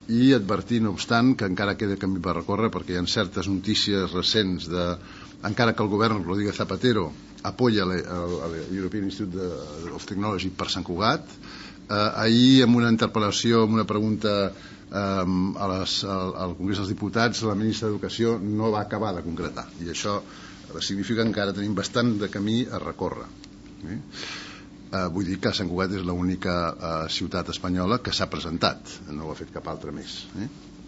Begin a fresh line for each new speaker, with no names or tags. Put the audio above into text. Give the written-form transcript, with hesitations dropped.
i advertir, no obstant, que encara queda camí per recórrer, perquè hi ha certes notícies recents encara que el govern Rodríguez Zapatero apoya l'European Institute of Technology per Sant Cugat. Ahir, en una interpel·lació, en una pregunta al Congrés dels Diputats, la ministra d'Educació no va acabar de concretar, i això significa que encara tenim bastant de camí a recórrer. Vull dir que Sant Cugat és l'única ciutat espanyola que s'ha presentat, no ho ha fet cap altra més.